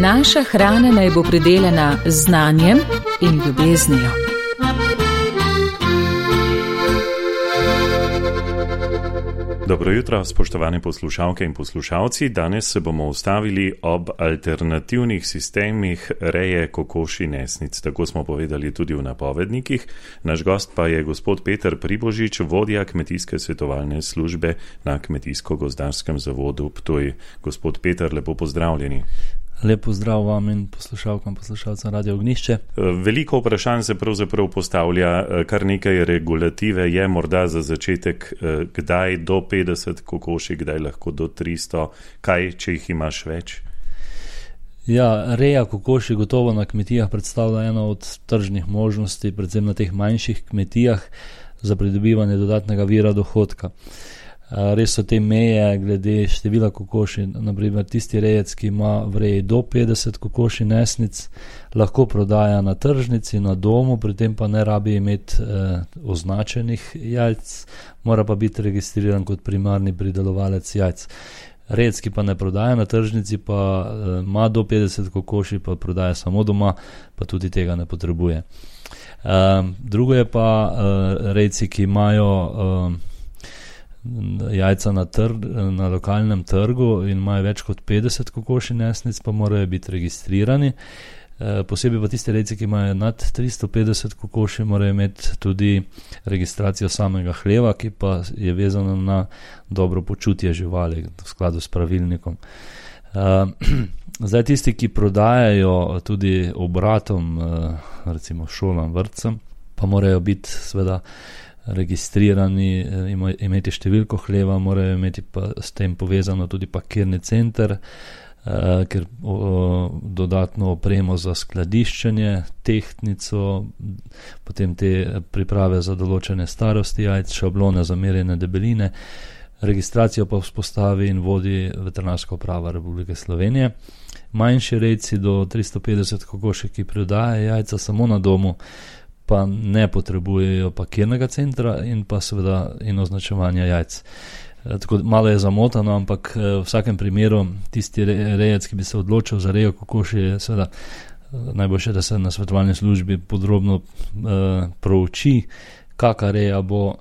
Naša hrana naj bo pridelana z znanjem in ljubeznijo. Dobro jutro, spoštovane poslušalke in poslušalci. Danes se bomo ustavili ob alternativnih sistemih reje kokoši nesnic. Tako smo povedali tudi v napovednikih. Naš gost pa je gospod Peter Pribožič, vodja kmetijske svetovalne službe na Kmetijsko-gozdarskem zavodu Ptuj. Gospod Peter, lepo pozdravljeni. Lep pozdrav vam in poslušalkam, poslušalcem Radio Ognjišče. Veliko vprašanj se pravzaprav postavlja, kar nekaj regulative je morda za začetek, kdaj do 50 kokoši, kdaj lahko do 300, kaj, če jih imaš več? Ja, reja kokoši gotovo na kmetijah predstavlja eno od tržnih možnosti, predvsem na teh manjših kmetijah, za pridobivanje dodatnega vira dohodka. Res so te meje glede števila kokoši, naprimer tisti rejec, ki ima v reji do 50 kokoši nesnic, lahko prodaja na tržnici, na domu, pri tem pa ne rabi imeti označenih jajc, mora pa biti registriran kot primarni pridelovalec jajc. Rejec, ki pa ne prodaja na tržnici, pa ima do 50 kokoši, pa prodaja samo doma, pa tudi tega ne potrebuje. Drugo je pa rejci, ki imajo jajca na lokalnem trgu in imajo več kot 50 kokoši nesnic, pa morajo biti registrirani. Posebej pa tisti rejci, ki imajo nad 350 kokoši, morajo imeti tudi registracijo samega hleva, ki pa je vezana na dobro počutje živali v skladu s pravilnikom. Zdaj tisti, ki prodajajo tudi obratom, recimo šolam, vrtcem, pa morajo biti seveda registrirani, imeti številko hleva, morajo imeti pa s tem povezano tudi pakirni center, ker dodatno opremo za skladiščenje, tehtnico, potem te priprave za določene starosti jajc, šablone za merjenje debeline. Registracijo pa vzpostavi in vodi Veterinarska uprava Republike Slovenije. Manjši rejci do 350 kokoši, ki prodajajo jajca samo na domu, pa ne potrebujejo pakirnega centra in pa seveda in označevanja jajc. Tako malo je zamotano, ampak v vsakem primeru tisti rejec, ki bi se odločil za rejo kokoši, je seveda najboljše, da se na svetovalni službi podrobno prouči, kaka reja bo.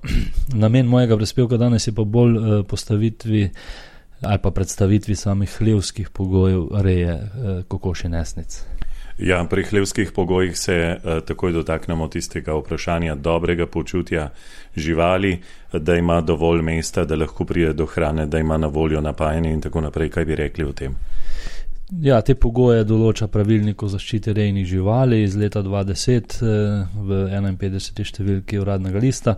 Namen mojega prispevka danes je pa bolj postavitvi ali pa predstavitvi samih hlevskih pogojev reje kokoši nesnic. Ja, pri hlevskih pogojih se takoj dotaknemo tistega vprašanja dobrega počutja živali, da ima dovolj mesta, da lahko pride do hrane, da ima na voljo napajanje in tako naprej. Kaj bi rekli o tem? Ja, te pogoje določa pravilnik o zaščiti rejnih živali iz leta 2010 v 51. številki uradnega lista.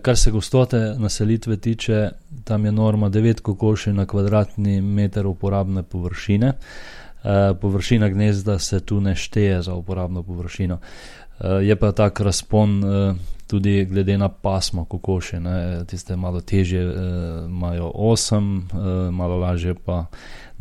Kar se gostote naselitve tiče, tam je norma 9 kokoši na kvadratni meter uporabne površine. Površina gnezda se tu ne šteje za uporabno površino. Je pa tak razpon tudi glede na pasmo kokoši. Tiste malo težje imajo 8, malo lažje pa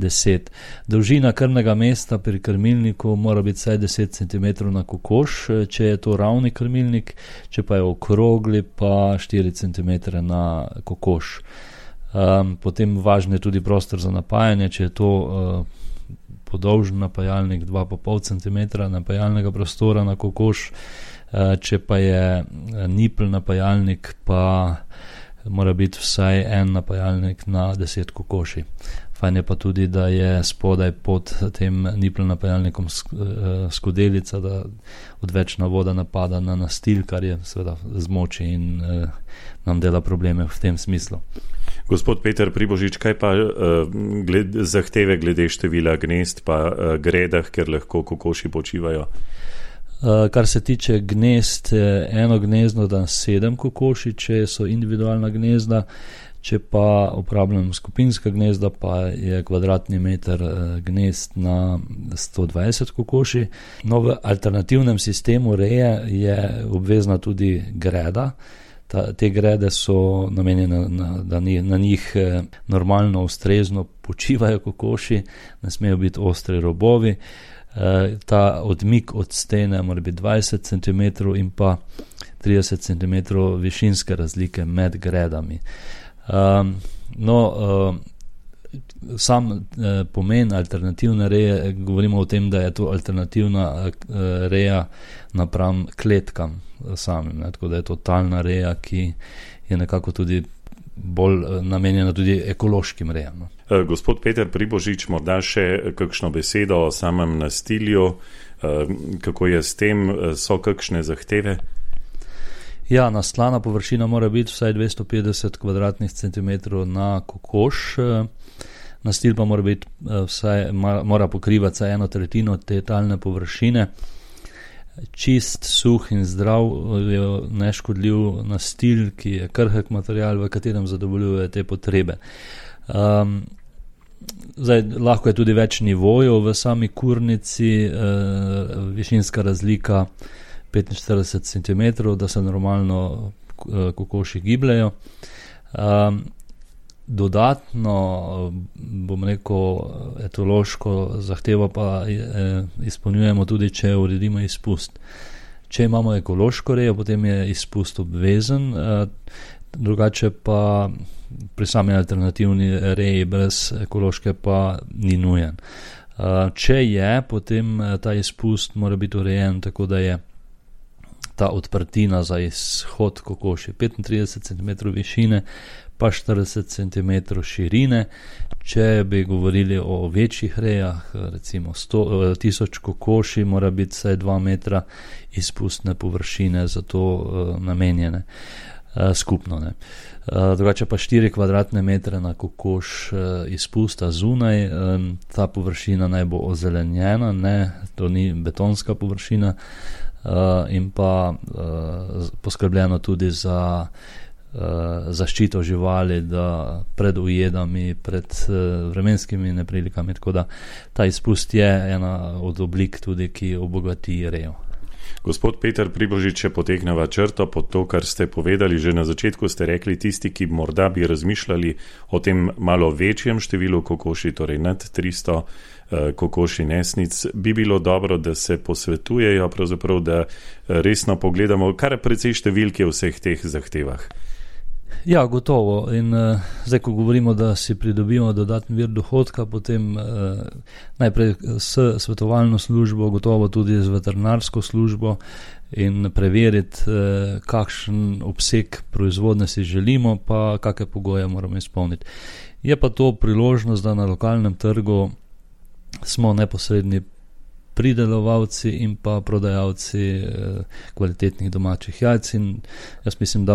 10. Dolžina krmnega mesta pri krmilniku mora biti vsaj 10 cm na kokoš, če je to ravni krmilnik, če pa je okrogli, pa 4 cm na kokoš. Potem važno je tudi prostor za napajanje, če je to podolžen napajalnik 2,5 cm napajalnega prostora na kokoš, če pa je nipl napajalnik, pa mora biti vsaj en napajalnik na 10 kokoši. Fajn je pa tudi, da je spodaj pod tem nipl napajalnikom skodelica, da odvečna voda napada na nastil, kar je seveda zmoči in nam dela probleme v tem smislu. Gospod Peter Pribožič, kaj pa zahteve glede števila gnezd pa gredah, ker lahko kokoši počivajo? Kar se tiče gnezd, eno gnezdo da 7 kokoši, če so individualna gnezda, če pa uporabljam skupinska gnezda, pa je kvadratni meter gnezd na 120 kokoši. No, v alternativnem sistemu reje je obvezna tudi greda. Te grede so namenjene, da na njih normalno, ustrezno počivajo kokoši, ne smejo biti ostri robovi. Ta odmik od stene mora biti 20 cm in pa 30 cm višinske razlike med gredami. Sam pomen alternativne reje, govorimo o tem, da je to alternativna reja napram kletkam samim, tako da je to talna reja, ki je nekako tudi bolj namenjena tudi ekološkim rejam. Gospod Peter Pribožič, morda še kakšno besedo o samem nastilju, kako je s tem, so kakšne zahteve? Ja, nastlana površina mora biti vsaj 250 kvadratnih centimetrov na kokoš, nastil pa mora pokrivati vsaj 1/3 te talne površine. Čist, suh in zdrav je neškodljiv nastil, ki je krhek material, v katerem zadovoljuje te potrebe. Lahko je tudi več nivojev v sami kurnici, višinska razlika 45 cm, da se normalno kokoši gibljajo. Dodatno, bom rekel, etološko zahtevo pa izpolnjujemo tudi, če uredimo izpust. Če imamo ekološko rejo, potem je izpust obvezen, drugače pa pri sami alternativni reji brez ekološke pa ni nujen. Če je, potem ta izpust mora biti urejen tako, da je ta odprtina za izhod kokoši 35 cm višine, pa 40 cm širine. Če bi govorili o večjih rejah, recimo 1000 kokoši, mora biti vsaj 2 metra izpustne površine za to namenjene skupno. Drugače pa 4 kvadratne metre na kokoš izpusta zunaj, ta površina naj bo ozelenjena, to ni betonska površina, in pa poskrbljeno tudi za zaščito živali, da pred ujedami, pred vremenskimi neprilikami, tako da ta izpust je ena od oblik tudi, ki obogati rejo. Gospod Peter Pribožič, če potegneva črto pod to, kar ste povedali, že na začetku ste rekli, tisti, ki morda bi razmišljali o tem malo večjem številu kokoši, torej nad 300 kokoši nesnic, bi bilo dobro, da se posvetujejo, pravzaprav, da resno pogledamo, kar precej številke v vseh teh zahtevah. Ja, gotovo. In zdaj, ko govorimo, da si pridobimo dodatni vir dohodka, potem najprej s svetovalno službo, gotovo tudi z veterinarsko službo in preveriti, kakšen obseg proizvodnje si želimo, pa kakšne pogoje moramo izpolniti. Je pa to priložnost, da na lokalnem trgu smo neposredni pridelovalci in pa prodajalci kvalitetnih domačih jajc, in jaz mislim, da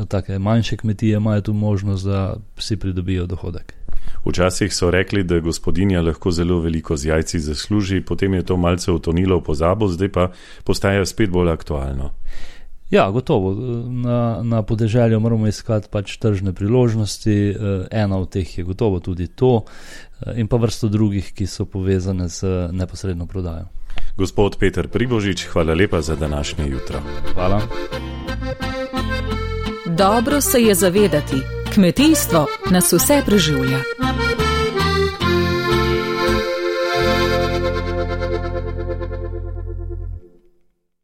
take manjše kmetije imajo tu možnost, da si pridobijo dohodek. Včasih so rekli, da gospodinja lahko zelo veliko z jajci zasluži, potem je to malce utonilo v pozabo, zdaj pa postaja spet bolj aktualno. Ja, gotovo. Na podeželju moramo iskati pač tržne priložnosti, ena od teh je gotovo tudi to, in pa vrsto drugih, ki so povezane z neposredno prodajo. Gospod Peter Pribožič, hvala lepa za današnje jutro. Hvala. Dobro se je zavedati, kmetijstvo nas vse preživlja.